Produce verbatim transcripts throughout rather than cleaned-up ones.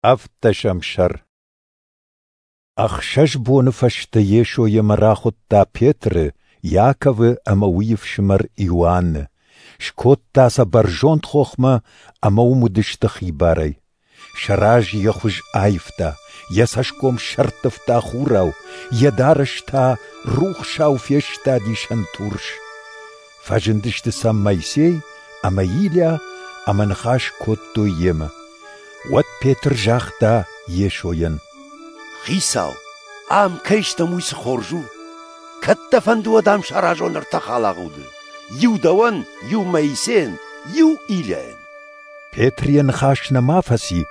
Ӕвддӕсӕм сӕр. Ӕхсӕз боны фӕстӕ Йесо йемӕ рахуыдта Петры, Иаковы ӕмӕ уый ӕфсымӕр Иоанны, скодта сӕ бӕрзонд хохмӕ ӕмӕ уым уыдысты хибарӕй. Сӕ разы йӕ хуыз аивта, йӕ цӕсгом сӕрттывта хурау, йӕ дарӕс та рухсау фестади сӕнтурс. Фӕзындысты сӕм Моисей ӕмӕ Илийа ӕмӕ ныхас кодтой йемӕ. Уӕд Петр загъта Йесойӕн: «Хицау, ам кӕй стӕм, уый цы хорз у! Кӕд дӕ фӕнды, уӕд ам саразон ӕртӕ халагъуды: иу дӕуӕн, иу Моисейӕн, иу Илийайӕн». Петр йӕ ныхас нӕма фӕци,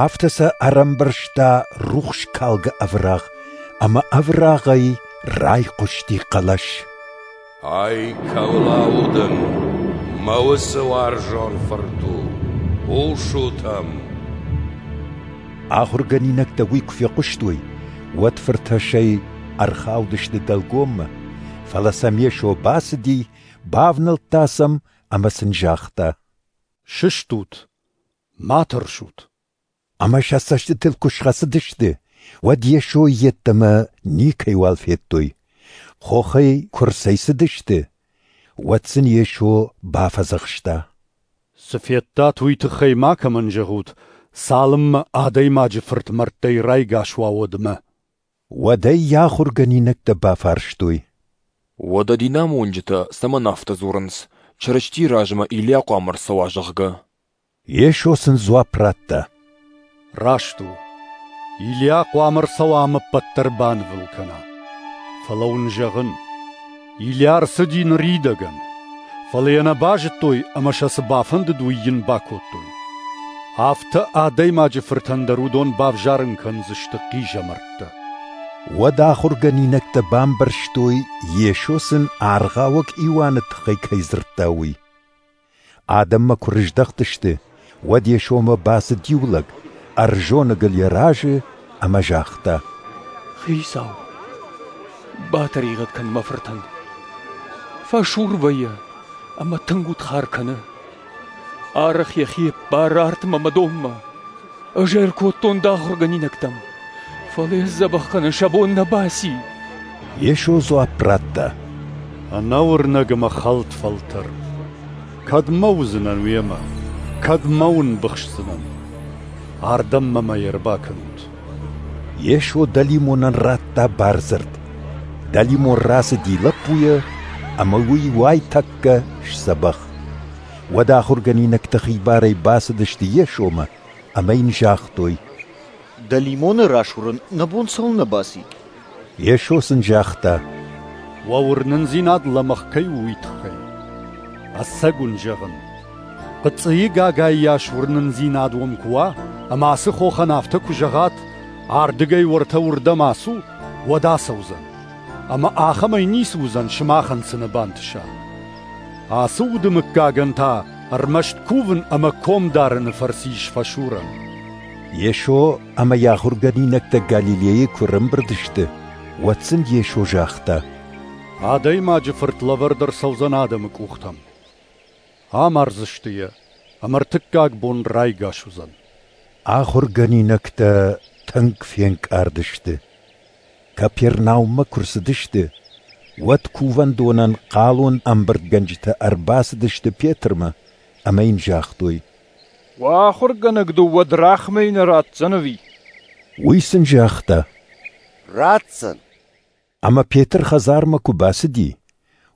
афтӕ сӕ ӕрӕмбӕрзта рухскалгӕ ӕврагъ, ӕмӕ ӕврагъӕй райхъуысти хъӕлӕс: «Ай кӕуыл аудын, мӕ уыцы уарзон фырт у, хъусут ӕм!» Ахуыргӕнинӕгтӕ уый куы фехъуыстой, уӕд фыртӕссӕй ӕрхаудысты дӕлгоммӕ, фӕлӕ сӕм Йесо бацыди, бавнӕлдта сӕм ӕмӕ сын загъта: «Сыстут, ма тӕрсут!» Ӕмӕ сӕ цӕстытыл куы схӕцыдысты, уӕд Йесойы йеддӕмӕ никӕйуал федтой. Хохӕй куы рцӕйцыдысты, уӕд сын Йесо бафӕдзӕхста: «Цы федтат, уый тыххӕй макӕмӕн зӕгъут, цалынмӕ Адӕймаджы Фырт мӕрдтӕй райгас уа, уӕдмӕ». Уӕд ӕй йӕ ахуыргӕнинӕгтӕ бафарстой: «Уӕдӕ динамонджытӕ цӕмӕн афтӕ дзурынц, Чырыстийы размӕ Илийа хъуамӕ ӕрцӕуа, зӕгъгӕ?» Йесо сын дзуапп радта: «Раст у, Илийа хъуамӕ ӕрцӕуа ӕмӕ ӕппӕт дӕр банывыл кӕна. Фӕлӕ уын зӕгъын, Илийа ӕрцыди ныридӕгӕн, фӕлӕ йӕ нӕ базыдтой ӕмӕ сӕ цы бафӕндыд, уый йын бакодтой. Афтӕ Адӕймаджы Фыртӕн дӕр уыдон бавзарын кӕндзысты хъизӕмӕрттӕ». Уӕд ахуыргӕнинӕгтӕ бамбӕрстой, Йесо сын Аргъауӕг Иоанны тыххӕй кӕй дзырдта, уый. Адӕммӕ куы рыздӕхтысты, уӕд Йесомӕ бацыд иу лӕг, ӕрзоныгыл йӕ разы ӕмӕ загъта: «Хицау, батӕригъӕд кӕн мӕ фыртӕн. Фӕсур вӕййы ӕмӕ тынг удхар кӕны. Арӕх йӕхи ӕппары артмӕ ӕмӕ донмӕ. Ӕз ӕркодтон дӕ ахуыргӕнинӕгтӕм, фӕлӕ йӕ сдзӕбӕх кӕнын сӕ бон нӕ баци». Йесо дзуапп радта: «Ӕнӕуырнӕг ӕмӕ хӕлд фӕлтӕр! Кӕдмӕ уыдзынӕн уемӕ, кӕдмӕ уын быхсдзынӕн? Ардӕм мӕм ӕй ӕрбакӕнут». Йесо дӕлимонӕн радта бардзырд. Дӕлимон рацыди лӕппуйӕ, ӕмӕ уый уайтӕккӕ сдзӕбӕх. Уӕд ахуыргӕнинӕгтӕ хибарӕй бацыдысты Йесомӕ ӕмӕ йын загътой: «Дӕлимоны расурын нӕ бон цӕуылнӕ баци?» Йесо сын загъта: «Уӕ уырнындзинад лӕмӕгъ кӕй у, уый тыххӕй. Ӕцӕг уын зӕгъын, хъыцъыйы гагайы йас уырнындзинад уӕм куы уа, ӕмӕ ацы хохӕн афтӕ куы зӕгъат, ардыгӕй уӕртӕ уырдӕм ацу, уӕд ацӕудзӕн. Ӕмӕ ахӕмӕй ницы уыдзӕн, сымахӕн цы нӕ бантыса. Ацы уды мыггагӕн та ӕрмӕст кувын ӕмӕ ком дарыны фӕрцы ис фӕсурӕн». Йесо ӕмӕ йӕ ахуыргӕнинӕгтӕ Галилейы куы ӕрӕмбырд сты, уӕд сын Йесо загъта: «Адӕймаджы Фырт лӕвӕрд ӕрцӕудзӕн адӕмы къухтӕм. Амардзысты йӕ, ӕмӕ ӕртыккаг бон райгас уыдзӕн». Ахуыргӕнинӕгтӕ тынг фенкъард сты. Капернауммӕ куы рцыдысты, уӕд кувӕндонӕн хъалон ӕмбырдгӕнджытӕ ӕрбацыдысты Петрмӕ ӕмӕ йын загътой: «Уӕ ахуыргӕнӕг дыууӕ драхмӕйы нӕ ратдзӕн ӕви?» Уый сын загъта: «Ратдзӕн». Ӕмӕ Петр хӕдзармӕ куы бацыди,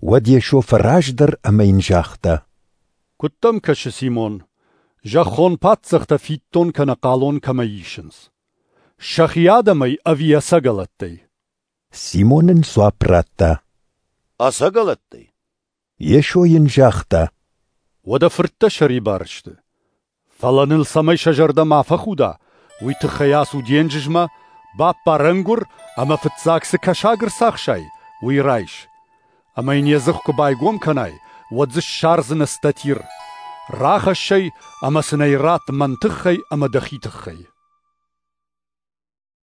уӕд Йесо фӕраздӕр ӕмӕ йын загъта: «Куыд дӕм кӕсы, Симон, зӕххон паддзӕхтӕ фиддон кӕнӕ хъалон кӕмӕй исынц? Сӕхи адӕмӕй ӕви ӕцӕгӕлӕттӕй?» Симон ын дзуапп радта: «Ӕцӕгӕлӕттӕй». Йесо йын загъта: «Уӕдӕ фырттӕ сӕрибар сты. Фӕлӕ ныл цӕмӕй сӕ зӕрдӕ ма фӕхуда, уый тыххӕй ацу денджызмӕ, баппар ӕнгуыр ӕмӕ фыццаг цы кӕсаг ӕрцахсай, уый райс. Ӕмӕ йын йӕ дзых куы байгом кӕнай, уӕд дзы ссардзынӕ статир. Рахӕсс ӕй ӕмӕ сын ӕй ратт мӕн тыххӕй ӕмӕ дӕхи тыххӕй».